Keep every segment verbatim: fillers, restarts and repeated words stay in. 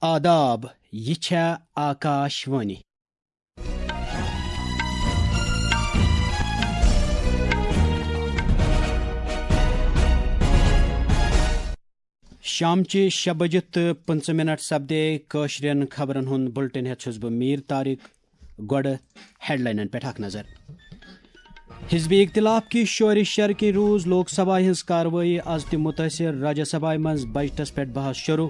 آداب، یہِ چھےٚ آکاش وانی۔ شامچہِ شےٚ بجہِ تہٕ پٕنٛژٕہ منٹ سپدے کٲشرٮ۪ن خبرن ہُنٛد بُلٹن ہٮ۪تھ چھُس بہٕ میٖر طارق۔ گۄڈٕ ہیڈلاینن پٮ۪ٹھ اکھ نظر۔ حزب اختلاف کہِ شورِ شر کِنۍ روٗز لوک سبھا ہٕنٛز کاروٲیی از تہِ مُتٲثِر، راجیہ سبھایہ منٛز بجٹس پٮ۪ٹھ بحث شروع۔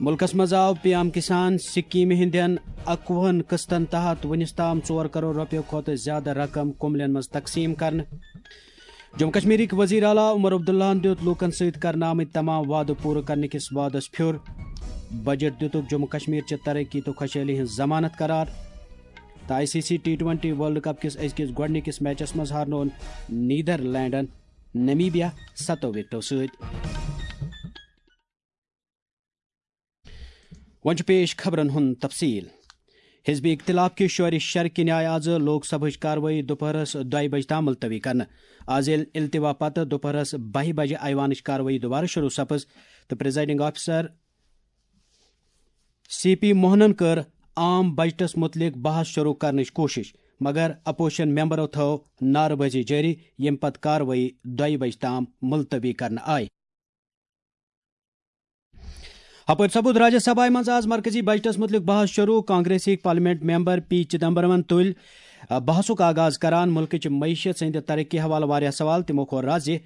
مُلکس منٛز آو پی ایم کسان سکیمہِ ہٕنٛدٮ۪ن اَکوُہن قٕسطن تحت وُنِس تام ژور کرور رۄپیو کھۄتہٕ زیادٕ رقم کُملٮ۪ن منٛز تقسیٖم کرنہٕ۔ جموں کشمیرٕکۍ وزیر اعلیٰ عمر عبداللہن دیُت لوٗکن سۭتۍ کرنہٕ آمٕتۍ تمام وعدٕ پوٗرٕ کرنہٕ کِس وعدس پھیُر۔ بجٹ دِتُکھ جموں کشمیر چہِ ترقی تہٕ خۄشحٲلی ہٕنٛز ضمانت قرار۔ تہٕ I C C T twenty world cup کِس أزکِس گۄڈٕنِکِس میچس منٛز ہارنوون نیدرلینڈن نمیبیا ستو وکٹو سۭتۍ۔ وۄنۍ چھُ پیش خبرن ہُنٛد تفصیل۔ حزب اختلاف کہِ شورِ شر کِنۍ آیہِ آز لوک سبھٕچ کاروٲیی دُپہرس دۄیہِ بجہِ تام ملتوی کرنہٕ۔ آز ییٚلہِ التوا پتہٕ دُپہرس بَہہِ بجہِ ایوانٕچ کاروٲیی دوبارٕ شروع سپٕز تہٕ پریزائیڈنگ آفیسر سی پی موہنن کٔر عام بجٹس متعلق بحث شروع کرنٕچ کوٗشش، مگر اپوزیشن ممبرو تھٲو نعرٕ بٲزی جٲری، ییٚمہِ پتہٕ کاروٲیی دۄیہِ بجہِ تام ملتوی کرنہٕ آیہِ۔ ہپٲرۍ سپُد راجیہ سبھایہ منٛز آز مرکزی بجٹس متعلق بحث شروع۔ کانگریسٕکۍ پارلیمنٹ ممبر پی چدمبرمن تُلۍ، آ، بحثُک آغاز کران مُلکٕچ معیشت سٕنٛدِ ترقی حوالہٕ واریاہ سوال۔ تِمو کوٚر راز زِ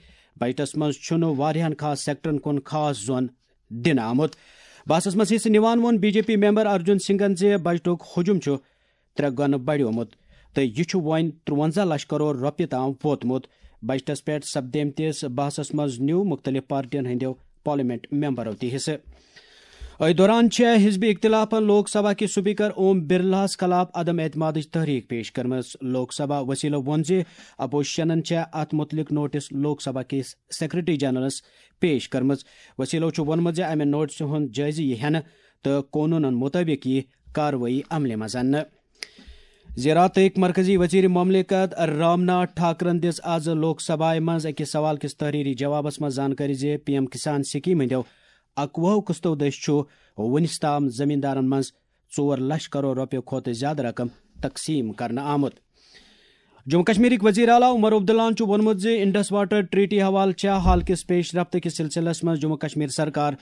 بجٹس منٛز چھُنہٕ واریاہن خاص سیکٹرن کُن خاص زون دِنہٕ آمُت۔ بحثس منٛز حصہٕ نِوان ووٚن B J P member Arjun سنگھن زِ بجٹُک حجم چھُ ترٛےٚ گُنہٕ بڑیومُت تہٕ یہِ چھُ وۄنۍ ترٛوَنزاہ لچھ کرور رۄپیہِ تام ووتمُت۔ بجٹس پٮ۪ٹھ سپدیمتِس بحثس منٛز نیوٗ مُختٔلِف پارٹین ہٕنٛدیو پارلیمنٹ ممبرو تہِ حصہٕ۔ أتھۍ دوران چھےٚ حزب اختلافن لوک سبھا کِس سپیکر اوم برلاہس خلاف عدم اعتمادٕچ تحریک پیش کٔرمٕژ۔ لوک سبھا وسیلو ووٚن زِ اپوزیشنن چھےٚ اتھ مُتعلق نوٹس لوک سبھا کِس سیکرٹری جنرلس پیش کٔرمٕژ۔ وسیلو چھُ ووٚنمُت زِ امہِ نوٹسہِ ہُنٛد جٲیزٕ یِیہِ ہٮ۪نہٕ تہٕ قونوٗنن مُطٲبِق یِیہِ کاروٲیی عملہِ منٛز اننہٕ۔ زِراعتٕکۍ مرکزی وزیر مملکت رام ناتھ ٹھاکرن دِژ آز لوک سبھایہ منٛز أکِس سوال کِس تحریری جوابس منٛز زانکٲری زِ پی ایم کسان سکیمہِ ہٕنٛدیو اَکوُہو قٕسطو دٔسۍ چھُ وُنِس تام زمیٖندارن منٛز ژور لچھ کرور رۄپیہِ کھۄتہٕ زیادٕ رقم تقسیٖم کرنہٕ آمُت۔ جموں کشمیرٕکۍ وزیر اعلیٰ عمر عبداللہن چھُ ووٚنمُت زِ انڈس واٹر ٹریٹی حوالہٕ چھےٚ حال کِس پیش رفت کِس سلسلس منٛز جموں کشمیر سرکار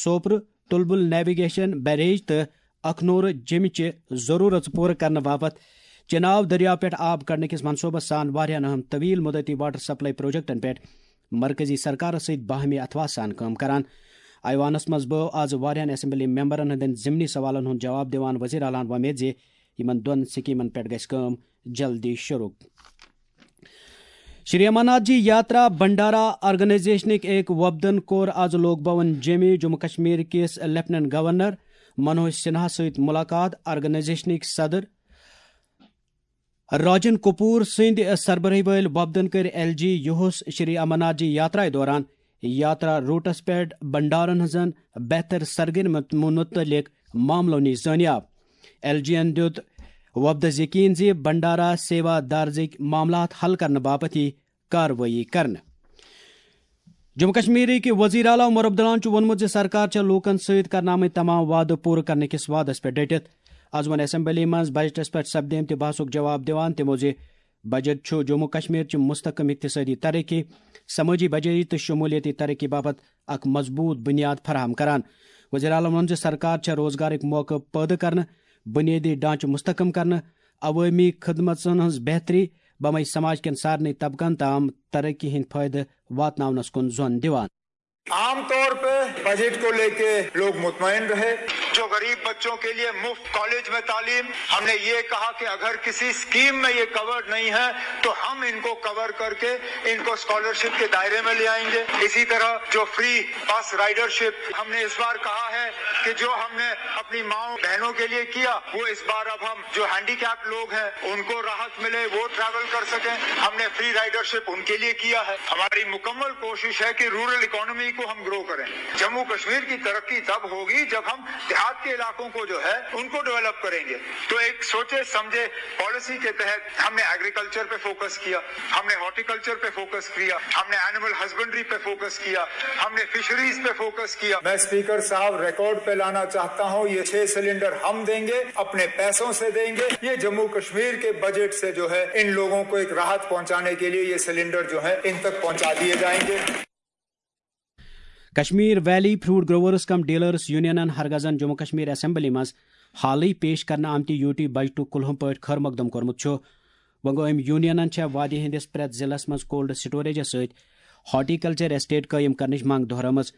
سوپرٕ، تلبل نیویگیشن بیریج تہٕ اکھنور جیمہِ چہِ ضروٗرژ پوٗرٕ کرنہٕ باپتھ چناو دریا پٮ۪ٹھ آب کڑنہٕ کِس منصوبس سان واریاہن اہم طویل مدتی واٹر سپلائی پروجیکٹن پٮ۪ٹھ مرکزی سرکارس سۭتۍ باہمی اتھواس سان کٲم کران۔ ایوانس منٛز بٲو آز واریاہن اسمبلی ممبرن ہٕنٛدٮ۪ن ضمنی سوالن ہُنٛد جواب دِوان وزیر اعلیٰ ہن وۄمید زِ یِمن دۄن سکیمن پٮ۪ٹھ گژھِ کٲم جلدی شروع۔ شری امرناتھ جی یاترا بھنڈارا آرگنائزیشنٕکۍ أکۍ وفدن کوٚر آز لوک بھون جیمہِ جموں کشمیر کِس لیفٹیننٹ گورنر منوج سنہا سۭتۍ مُلاقات۔ آرگنائزیشنٕکۍ صدر راجن کپور سٕنٛدِ سربرٲہی وٲلۍ وفدن کٔرۍ ایل جی یوہس شری امرناتھ جی یاترایہِ دوران یاترا روٹس پٮ۪ٹھ بھنڈارن ہٕنٛزن بہتر سرگرمن متعلق معاملو نِش زٲنیاب۔ ایل جی ین دیُت وفدس یقین زِ بھنڈارا سیوا دارزٕکۍ معاملات حل کرنہٕ باپتھ یِیہِ کاروٲیی کرنہٕ۔ جموں کشمیرٕکۍ وزیر اعلیٰ عمر عبداللہن چھُ ووٚنمُت زِ سرکار چھےٚ لوٗکن سۭتۍ کرنہٕ آمٕتۍ تمام وعدٕ پوٗرٕ کرنہٕ کِس وعدس پٮ۪ٹھ ڈٔٹِتھ۔ از ووٚن اسمبلی منٛز بجٹس پٮ۪ٹھ سپدیمتہِ بحثُک جواب دِوان تِمو زِ بجٹ چھُ جموں کشمیر چہِ مستحکم اقتصٲدی ترقی، سمٲجی بجٲیی تہٕ شمولیتی ترقی باپتھ اکھ مضبوٗط بُنیاد فراہم کران۔ وزیر اعلیٰ ووٚن زِ سرکار چھےٚ روزگارٕکۍ موقعہٕ پٲدٕ کرنہٕ، بُنیٲدی ڈھانچہٕ مستحکم کرنہٕ، عوٲمی خدمژن ہٕنٛز بہتری، بمے سماج کٮ۪ن سارنٕے طبقن تام ترقی ہٕنٛدۍ فٲیدٕ واتناونس کُن زون دِوان۔ عام طور پہ بجٹ کو لے کے لوگ مطمئن رہے۔ جو غریب بچوں کے لیے مفت کالج میں تعلیم، ہم نے یہ کہا کہ اگر کسی اسکیم میں یہ کور نہیں ہے تو ہم ان کو کور کر کے ان کو اسکالرشپ کے دائرے میں لے آئیں گے۔ اسی طرح جو فری بس رائڈرشپ، ہم نے اس بار کہا ہے کہ جو ہم نے اپنی ماؤں بہنوں کے لیے کیا، وہ اس بار اب ہم جو ہینڈی کیپ لوگ ہیں ان کو راحت ملے، وہ ٹریول کر سکیں۔ ہم نے فری رائڈرشپ ان کے لیے کیا ہے۔ ہماری مکمل کوشش ہے کہ رورل اکانومی کو ہم گرو کریں۔ جموں کشمیر کی ترقی تب ہوگی جب ہم دھیان आपके इलाकों को जो है उनको डेवलप करेंगे। तो एक सोचे समझे पॉलिसी के तहत हमने एग्रीकल्चर पे फोकस किया, हमने हॉर्टिकल्चर पे फोकस किया, हमने एनिमल हस्बेंड्री पे फोकस किया, हमने फिशरीज पे फोकस किया। मैं स्पीकर साहब रिकॉर्ड पे लाना चाहता हूँ, ये छह सिलेंडर हम देंगे, अपने पैसों से देंगे। ये जम्मू कश्मीर के बजट से जो है इन लोगों को एक राहत पहुंचाने के लिए ये सिलेंडर जो है इन तक पहुंचा दिए जाएंगे। کشمیر ویلی فروٹ گروورز کم ڈیلرز یونینن ہرگزن جموں کشمیر اسمبلی منٛز حالٕے پیش کرنہٕ آمتہِ یوٗ ٹی بجٹُک کُلہُم پٲٹھۍ خٲر مقدم کوٚرمُت چھُ۔ وۄنۍ گوٚو، أمۍ یونینن چھےٚ وادی ہٕنٛدِس پرٛٮ۪تھ ضلعس منٛز کولڈ سٹوریجس سۭتۍ ہارٹیکلچر ایسٹیٹ قٲیِم کرنٕچ منٛگ دۄہرٲومٕژ۔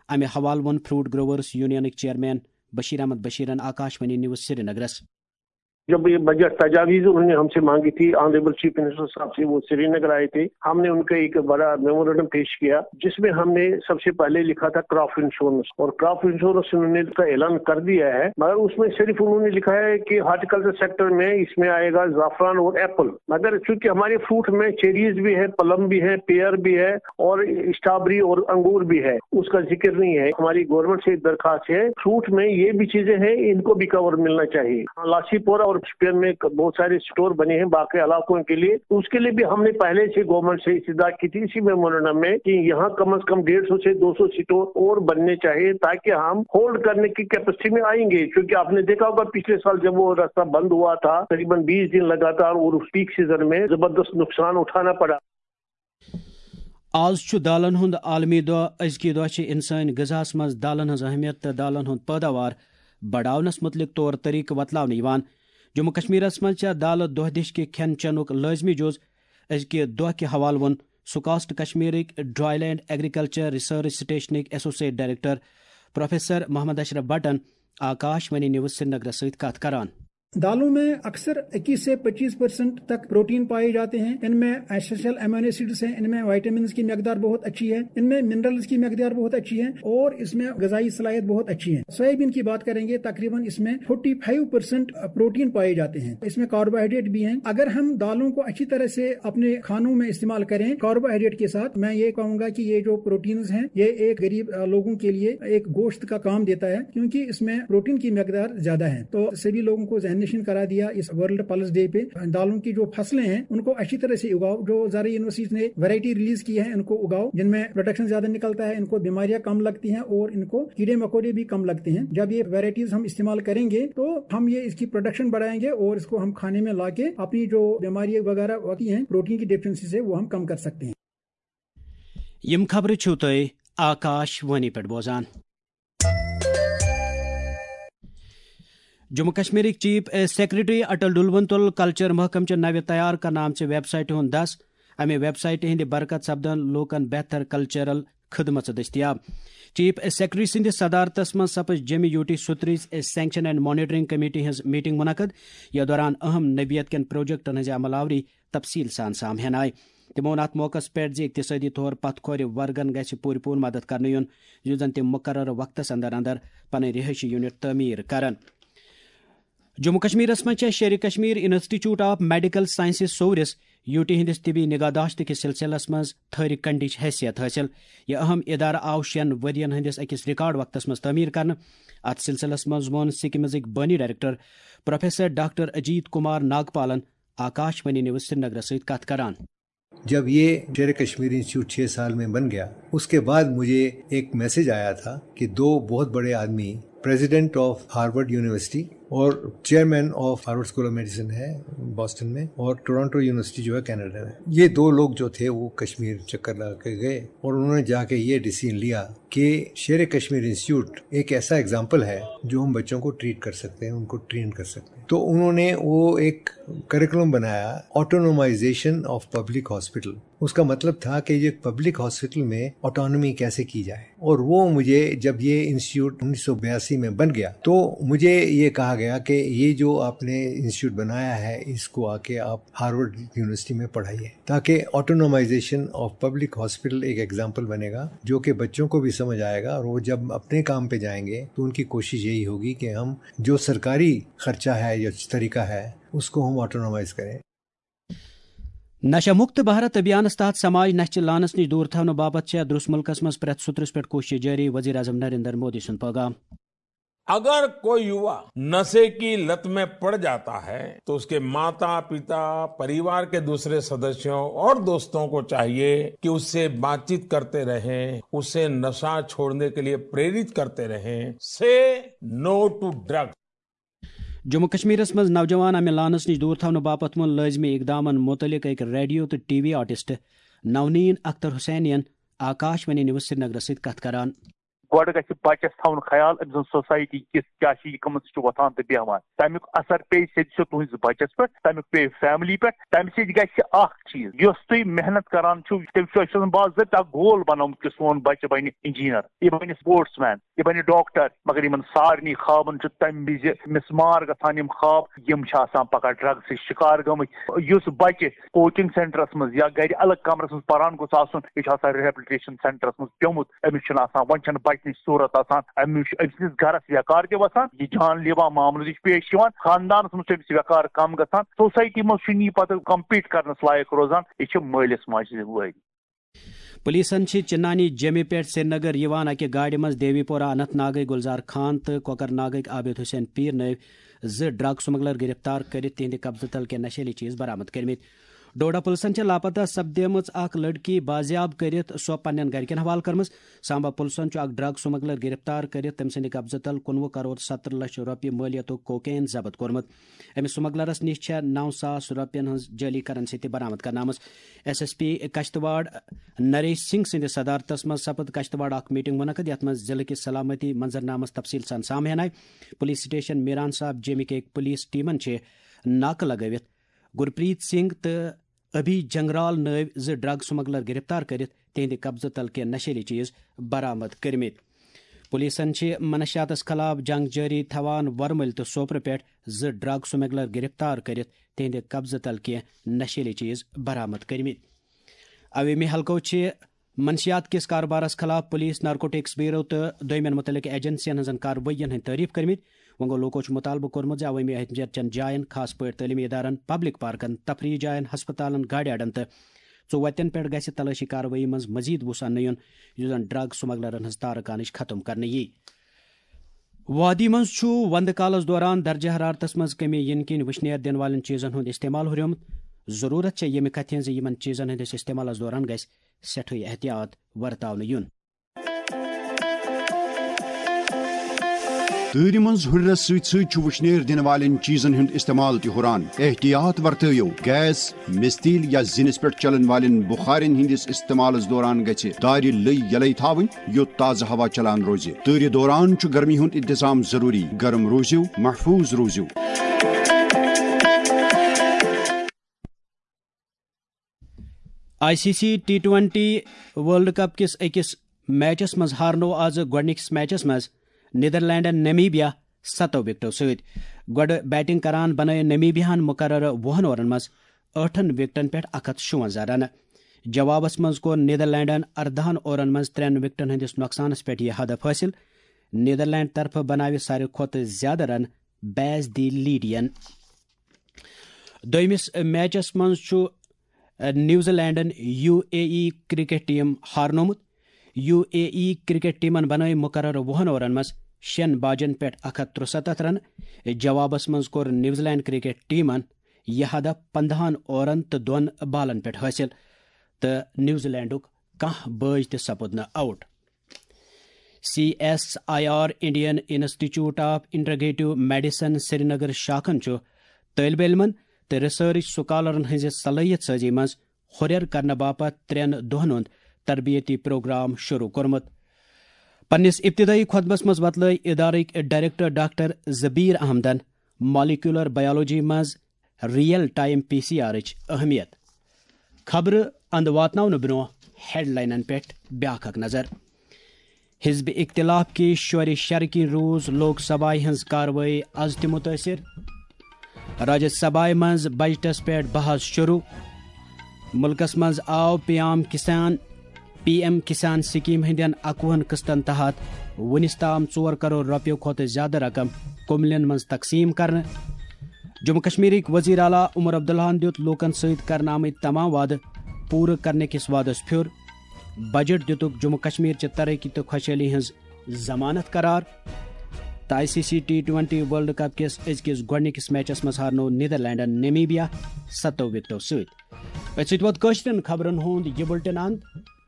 امہِ حوالہٕ ووٚن فروٹ گروورز یونینٕکۍ چیئرمین بشیر احمد بشیرن آکاشوانی نیوز سرینگرس۔ جب یہ بجٹ تجاویز انہوں نے ہم سے مانگی تھی، آنریبل چیف منسٹر صاحب سے، وہ سری نگر آئے تھے، ہم نے ان کا ایک بڑا میمورنڈم پیش کیا، جس میں ہم نے سب سے پہلے لکھا تھا کراپ انشورنس، اور کراپ انشورنس انہوں نے اس کا اعلان کر دیا ہے، مگر اس میں صرف انہوں نے لکھا ہے کہ ہارٹیکلچر سیکٹر میں اس میں آئے گا زعفران اور ایپل، مگر چونکہ ہمارے فروٹ میں چیریز بھی ہے، پلم بھی ہے، پیئر بھی ہے، اور اسٹرابری اور انگور بھی ہے، اس کا ذکر نہیں ہے۔ ہماری گورنمنٹ سے ایک درخواست ہے، فروٹ میں یہ بھی چیزیں ہیں، ان کو بھی کور ملنا چاہیے۔ لاسیپور اور شپین میں بہت سارے اسٹور بنے ہیں باقی علاقوں کے لیے، اس کے لیے بھی ہم نے پہلے سے گورنمنٹ سے استدعا کی تھی اسی میمورنڈم میں کہ یہاں کم از کم ڈیڑھ سو سے دو سو اسٹور اور بننے چاہیے، تاکہ ہم ہولڈ کرنے کی کیپیسٹی میں آئیں گے، کیونکہ آپ نے دیکھا ہوگا پچھلے سال جب وہ راستہ بند ہوا تھا، تقریباً بیس دن لگاتار، اور اس پیک سیزن میں زبردست نقصان اٹھانا پڑا۔ آز چھُ دالن ہُنٛد عالمی دۄہ۔ أزکہِ دۄہ چھِ اِنسٲنۍ غذاہَس منٛز دالن ہٕنٛز اہمیت تہٕ دالن ہُنٛد پٲداوار بڑاونَس مُتعلِق طور طریقہٕ وتلاونہٕ یِوان۔ جموں کشمیرس منٛز چھےٚ دالہٕ دۄہ دِش کہِ کھٮ۪ن چٮ۪نُک لٲزمی جُز۔ أزکہِ دۄہ کہِ حوالہٕ ووٚن سکاسٹ کشمیرٕکۍ ڈرائی لینڈ ایگریکلچر ریسرچ سٹیشنٕکۍ associate director professor Mohammad Ashraf بٹن آکاش وانی نیوز سرینگرس سۭتۍ کتھ کران۔ دالوں میں اکثر اکیس سے پچیس پرسنٹ تک پروٹین پائے جاتے ہیں۔ ان میں ایسینشل امینو ایسڈز ہیں، ان میں وائٹامنز کی مقدار بہت اچھی ہے، ان میں منرلز کی مقدار بہت اچھی ہے اور اس میں غذائی صلاحیت بہت اچھی ہے۔ سویابین کی بات کریں گے، تقریباً اس میں فورٹی فائیو پرسنٹ پروٹین پائے جاتے ہیں۔ اس میں کاربوہائیڈریٹ بھی ہیں۔ اگر ہم دالوں کو اچھی طرح سے اپنے کھانوں میں استعمال کریں کاربوہائیڈریٹ کے ساتھ، میں یہ کہوں گا کہ یہ جو پروٹینز ہیں، یہ ایک غریب، آ، لوگوں کے لیے ایک گوشت کا کام دیتا ہے، کیونکہ اس میں پروٹین کی مقدار زیادہ ہے۔ تو سبھی لوگوں کو ذہن نشین کرا دیا اس ورلڈ پلس ڈے پہ۔ دالوں کی جو فصلیں ہیں، ان کو اچھی طرح سے اگاؤ۔ جو زرعی یونیورسٹیز نے ورائٹی ریلیز کی ہے، ان کو اگاؤ، جن میں پروڈکشن زیادہ نکلتا ہے، ان کو بیماریاں کم لگتی ہیں اور ان کو کیڑے مکوڑے بھی کم لگتے ہیں۔ جب یہ ورائٹیز ہم استعمال کریں گے، تو ہم یہ اس کی پروڈکشن بڑھائیں گے اور اس کو ہم کھانے میں لا کے اپنی جو بیماری وغیرہ ہوتی ہیں پروٹین کی ڈیفیشنسی سے، وہ ہم کم کر سکتے ہیں۔ یِم خبرٕ چھِو تُہۍ آکاش وانی پٮ۪ٹھ بوزان۔ جموں کشمیرٕکۍ چیف سیکرٹری اٹل ڈلون تُل کلچر محکمہٕ چہِ نوِ تیار کرنہٕ آمژِ ویب سائٹہِ ہُنٛد دس۔ امہِ ویب سائٹہِ ہٕنٛدِ برکت سپدن لوٗکن بہتر کلچرل خدمژٕ دٔستیاب۔ چیف سیکرٹری سٕنٛدِس صدارتس منٛز سپٕز جیمہِ یوٗ ٹی سترٕچ سینکشن اینڈ مانیٹرنگ کمیٹی ہٕنٛز میٹنگ منعقد، یتھ دوران اہم نوعیت کٮ۪ن پروجیکٹن ہٕنٛزِ عمل آوری تفصیل سان سامہن آیہِ۔ تِمو ووٚن اتھ موقعس پٮ۪ٹھ زِ اقتصٲدی طور پتھ کھورِ ورگن گژھِ پوٗرٕ پوٗرٕ مدد کرنہٕ یُن، یُتھ زن تِم مقررٕ وقتس اندر اندر پنٕنۍ رہٲیشی یونٹ تعمیٖر کرن۔ جموں کشمیرس منٛز چھےٚ Sher-e Kashmir institute of medical sciences سورِس یوٗ ٹی ہٕنٛدِس طبی نگہداشت کِس سلسلس منٛز تھٔرۍ کنڈٕچ حیثیت حٲصِل۔ یہِ اہم ادارٕ آو شٮ۪ن ؤرین ہٕنٛدِس أکِس ریکارڈ وقتس منٛز تعمیٖر کرنہٕ۔ اتھ سلسلس منٛز ووٚن سکمزٕکۍ بٲنی director professor doctor Ajit Kumar ناگپالن آکاش وانی نیوز سرینگرس سۭتۍ کتھ کران۔ جب یہ شیر کشمیر انسٹیٹیوٹ چھ سال میں بن گیا، اس کے بعد مجھے ایک میسج آیا تھا کہ دو بہت بڑے آدمی، پریزیڈنٹ آف ہارورڈ یونیورسٹی اور chairman of Harvard school of medicine ہے بوسٹن میں، اور ٹورانٹو یونیورسٹی جو ہے کینیڈا میں، یہ دو لوگ جو تھے وہ کشمیر چکر لگا کے گئے اور انہوں نے جا کے یہ ڈیسیژن لیا کہ شیر کشمیر انسٹیٹیوٹ ایک ایسا ایگزامپل ہے جو ہم بچوں کو ٹریٹ کر سکتے ہیں، ان کو ٹرین کر سکتے ہیں۔ تو انہوں نے وہ ایک کریکولم بنایا، آٹونومائزیشن آف پبلک ہاسپٹل۔ اس کا مطلب تھا کہ یہ پبلک ہاسپٹل میں آٹونومی کیسے کی جائے، اور وہ مجھے جب یہ انسٹیٹیوٹ انیس سو بیاسی میں بن گیا تو مجھے یہ کہا گیا کہ یہ جو آپ نے انسٹیٹیوٹ بنایا ہے، اس کو آ کے آپ ہارورڈ یونیورسٹی میں پڑھائیے، تاکہ آٹونومائزیشن آف پبلک ہاسپٹل ایک ایگزامپل بنے گا، جو کہ بچوں کو بھی سمجھ آئے گا، اور وہ جب اپنے کام پہ جائیں گے تو ان کی کوشش یہی ہوگی کہ ہم جو سرکاری خرچہ ہے یا طریقہ ہے، اس کو ہم آٹونومائز کریں۔ نشہ مکت بھارت ابھیانس تحت سماج نشہ چہ لعنتس نش دور تھاونہٕ باپتھ چھےٚ درس ملکس منٛز پرٛٮ۪تھ سُترس پٮ۪ٹھ کوشش جٲری، وزیر اعظم نریندر مودی سُنٛد پیغام۔ अगर कोई युवा नशे की लत में पड़ जाता है, तो उसके माता, पिता, परिवार के दूसरे सदस्यों और दोस्तों को चाहिए कि उससे बातचीत करते रहें, उसे नशा छोड़ने के लिए प्रेरित करते रहें। Say no to drug. Jammu کشمیرس منٛز نوجوان امہِ لعنس نِش دوٗر تھاونہٕ باپتھ ووٚن لٲزمی اقدامن مُتعلق أکۍ ریڈیو تہٕ ٹی وی آرٹسٹ نونین اختر حسینین آکاش وانی نیوز سرینگرس سۭتۍ کتھ کران۔ گۄڈٕ گژھِ بچس تھاوُن خیال أمۍ سٕنٛز سوسایٹی کِژھ کیٛاہ چھِ، یہِ کٕمن سۭتۍ چھُ وۄتھان تہٕ بیٚہوان۔ تَمیُک اثر پیٚیہِ سیٚدِ سیوٚد تُہٕنٛزِ بچس پٮ۪ٹھ، تَمیُک پیٚیہِ فیملی پٮ۪ٹھ۔ تَمہِ سۭتۍ گژھِ اکھ چیٖز، یۄس تُہۍ محنت کران چھِو، تٔمِس چھُ، أسۍ چھِ آسان باضٲبطہٕ اکھ گول بنومُت کہِ سون بچہِ بنہِ انجینئر، یہِ بنہِ سپورٹس مین، یہِ بنہِ ڈاکٹر، مگر یِمن سارنٕے خوابن چھُ تَمہِ وِزِ مِس مار گژھان یِم خواب، یِم چھِ آسان پگاہ ڈرگسٕچ شکار گٔمٕتۍ۔ یُس بچہِ کوچنگ سینٹرس منٛز یا گرِ الگ کمرس منٛز پران گوٚژھ آسُن، یہِ چھُ آسان ریہیبلٹیشن سینٹرس منٛز پیوٚمُت، أمِس چھُنہٕ آسان، وۄنۍ چھَنہٕ بچنٕچ صورت آسان، أمِس چھُ أمۍ سٕنٛدِس گرس ویقار تہِ وسان، یہِ جان لیوا معاملہٕ تہِ چھُ پیش یِوان، خاندانس منٛز چھُ أمِس ویقار کم گژھان، سوسایٹی منٛز چھُنہٕ یہِ پتہٕ کمپیٖٹ کرنس لایق روزان، یہِ چھِ مٲلِس ماجہِ ذمہٕ وٲری۔ پولیسن چھِ چنانی جیمہِ پٮ۪ٹھ سرینگر یِوان اکہِ گاڑِ منٛز دیوی پورہ اننت ناگٕکۍ گلزار خان تہٕ کۄکر ناگٕکۍ عابد حسین پیٖر نٲوۍ زٕ ڈرگ سمگلر گرفتار کٔرِتھ تِہنٛدِ قبضہٕ تل کینٛہہ نشیلی چیز برآمد کٔرمٕتۍ۔ ڈوڈا پُلسن چھےٚ لاپتہ سپدیمٕژ اکھ لڑکی بازیاب کٔرِتھ سۄ پننٮ۪ن گرِکٮ۪ن حوالہٕ کٔرمٕژ۔ سامبا پُلسن چھُ اکھ ڈرگ سمگلر گرفتار کٔرِتھ تٔمۍ سٕنٛدِ قبضہٕ تل کُنوُہ کرور ستترٕہ لچھ رۄپیہِ مٲلیتُک کوکین ضبط کوٚرمُت۔ أمِس سمگلرس نِش چھےٚ نو ساس رۄپین ہٕنٛز جعلی کرنسی تہِ برآمد کرنہٕ آمٕژ۔ S S P Kishtwar Naresh Singh سٕنٛدِ صدارتس منٛز سپٕد کشتواڑ اکھ میٹنگ منعقد، یتھ منٛز ضلعہٕ کِس سلامتی منظرنامس تفصیل سان سامہٕ ہینہٕ آیہِ۔ پولیس سٹیشن میران صاحب جیمہِ کہِ پولیس ٹیمن چھِ ناکہٕ لگٲوِتھ گرپریت سنگھ تہٕ ابھی جنگرال نٲوۍ زٕ ڈرگ سمگلر گرفتار کٔرِتھ تِہنٛدِ قبضہٕ تل کینٛہہ نشیلی چیز برآمد کٔرمٕتۍ۔ پولیسن چھِ منشیاتس خلاف جنگ جٲری تھاوان ورمُلۍ تہٕ سوپرٕ پٮ۪ٹھ زٕ ڈرگ سمگلر گرفتار کٔرِتھ تِہنٛدِ قبضہٕ تل کینٛہہ نشیلی چیز برآمد کٔرمٕتۍ۔ عوٲمی حلقو چھِ منشیات کِس کاربارس خلاف پولیس، نارکوٹکس بیورو تہٕ دویمٮ۪ن متعلقہٕ ایجنسین ہٕنٛزن کاروٲیین ہٕنٛدۍ تعریف کٔرمٕتۍ۔ وۄنۍ گوٚو، لوکو چھُ مطالبہٕ کوٚرمُت زِ عوٲمی اہمیت چٮ۪ن جاین، خاص پٲٹھۍ تعلیمی ادارن، پبلک پارکن، تفریح جاین، ہسپتالن، گاڑِ اڈن تہٕ ژوتن پٮ۪ٹھ گژھِ تلٲشی کاروٲیی منٛز مزید وُس اننہٕ یُن، یُس زن ڈرگ سمگلرن ہٕنٛز تارکانٕچ ختم کرنہٕ یی۔ وادی منٛز چھُ وندٕ کالس دوران درجہ حرارتس منٛز کمی یِنہٕ کِنۍ وٕشنیر دِنہٕ والٮ۪ن چیزن ہُنٛد استعمال ہُریومُت۔ ضروٗرت چھےٚ ییٚمہِ کتھِ ہٕنٛز زِ یِمن چیزن ہٕنٛدِس استعمالس دوران گژھِ سٮ۪ٹھٕے احتیاط ورتاونہٕ یُن۔ تۭرِ منٛز ہُرٮ۪رس سۭتۍ سۭتۍ چھُ وٕشنیر دِنہٕ والٮ۪ن چیزن ہُنٛد استعمال تہِ ہُران۔ احتیاط ورتٲیِو۔ گیس، مِستیٖل یا زِنِس پٮ۪ٹھ چلن والٮ۪ن بُخارٮ۪ن ہٕنٛدِس استعمالس دوران گژھِ دارِ لٔے یلے تھاوٕنۍ، یُتھ تازٕ ہوا چلان روزِ۔ تۭرِ دوران چھُ گرمی ہُنٛد انتظام ضروٗری۔ گرم روٗزِو، محفوٗظ روٗزِو۔ I C C T twenty world cup کِس أکِس میچس منٛز ہارنوو آز گۄڈٕنِکِس میچس منٛز نیدرلینڈن نمیبیا ستو وکٹو سۭتۍ۔ گۄڈٕ بیٹنگ کران بنٲو نمیبیاہن مقررٕ وُہن اورن منٛز ٲٹھن وکٹن پٮ۪ٹھ اکھ ہتھ شُونزہ رنہٕ۔ جوابس منٛز کوٚر نیدرلینڈن اردہن اورن منٛز ترٛٮ۪ن وکٹن ہٕنٛدِس نۄقصانس پٮ۪ٹھ یہِ ہدف حٲصِل۔ نیدرلینڈ طرفہٕ بناوِ ساروی کھۄتہٕ زیادٕ رنہٕ بیس دی لیڈین۔ دوٚیمِس میچس منٛز چھُ، ا، نیوزی لینڈن U A E cricket team ہارنومُت۔ یو اے ای کرکٹ ٹیمن بنٲوۍ مقررٕ وُہن اورن منٛز شٮ۪ن باجن پٮ۪ٹھ اکھ ہتھ ترُستتھ رنہٕ۔ جوابس منٛز کوٚر نیوزی لینڈ کرکٹ ٹیمن یہِ ہدف پندہن اورن تہٕ دۄن بالن پٮ۪ٹھ حٲصِل، تہٕ نیوزی لینڈُک کانٛہہ بٲج تہِ سپُد نہٕ out. C S I R, Indian institute of integrative medicine Srinagar شاخن چھُ طٲلبہِ علمن تہٕ ریسرچ سکالرن ہٕنٛزِ صلٲحیت سازی منٛز ہُرٮ۪ر کرنہٕ باپتھ ترٛٮ۪ن دۄہن ہُنٛد تربیتی پروگرام شروع کوٚرمُت۔ پننِس ابتدٲئی خطبس منٛز وۄتلٲوۍ ادارٕکۍ ڈائریکٹر ڈاکٹر زبیر احمدن مالیکولر بائیولوجی منٛز ریئل ٹائم پی سی آرٕچ اہمیت۔ خبرٕ اند واتناونہٕ برونٛہہ ہیڈلاینن پٮ۪ٹھ بیاکھ اکھ نظر۔ حزب اختلاف کہِ شورِ شرکہِ روٗز لوک سبھایہ ہٕنٛز کاروٲیی از تہِ مُتٲثِر۔ راجیہ سبھایہ منٛز بجٹس پٮ۪ٹھ بحث شروع۔ مُلکس منٛز آو پی ایم کسان، پی ایم کسان سکیٖم ہٕنٛدٮ۪ن اکوُہن قسطن تحت وُنِس تام ژور کرور رۄپیو کھۄتہٕ زیادٕ رقم کُملٮ۪ن منٛز تقسیٖم کرنہٕ۔ جموں کشمیرٕکۍ وزیر اعلیٰ عمر عبداللہن دیُت لوٗکن سۭتۍ کرنہٕ آمٕتۍ تمام وعدٕ پوٗرٕ کرنہٕ کِس وعدس پھیُر۔ بجٹ دِتُکھ جموں کشمیر چہِ ترقی تہٕ خۄشحٲلی ہٕنٛز ضمانت قرار۔ تہٕ I C C T twenty world cup کِس أزکِس گۄڈٕنِکِس میچس منٛز ہارنوو نیدرلینڈن نیمیبیا ستو وکٹو سۭتۍ۔ أتھۍ سۭتۍ ووت کٲشرٮ۪ن خبرن ہُنٛد یہِ بُلٹن اند۔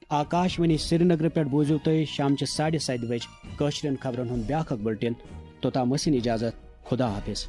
آکاش وانی سرینگرٕ پٮ۪ٹھ بوٗزِو تُہۍ شامچہِ ساڑِ ستہِ بجہِ کٲشرٮ۪ن خبرن ہُنٛد بیٛاکھ اکھ بُلٹن۔ توٚتام ٲسِن اجازت، خدا حافظ۔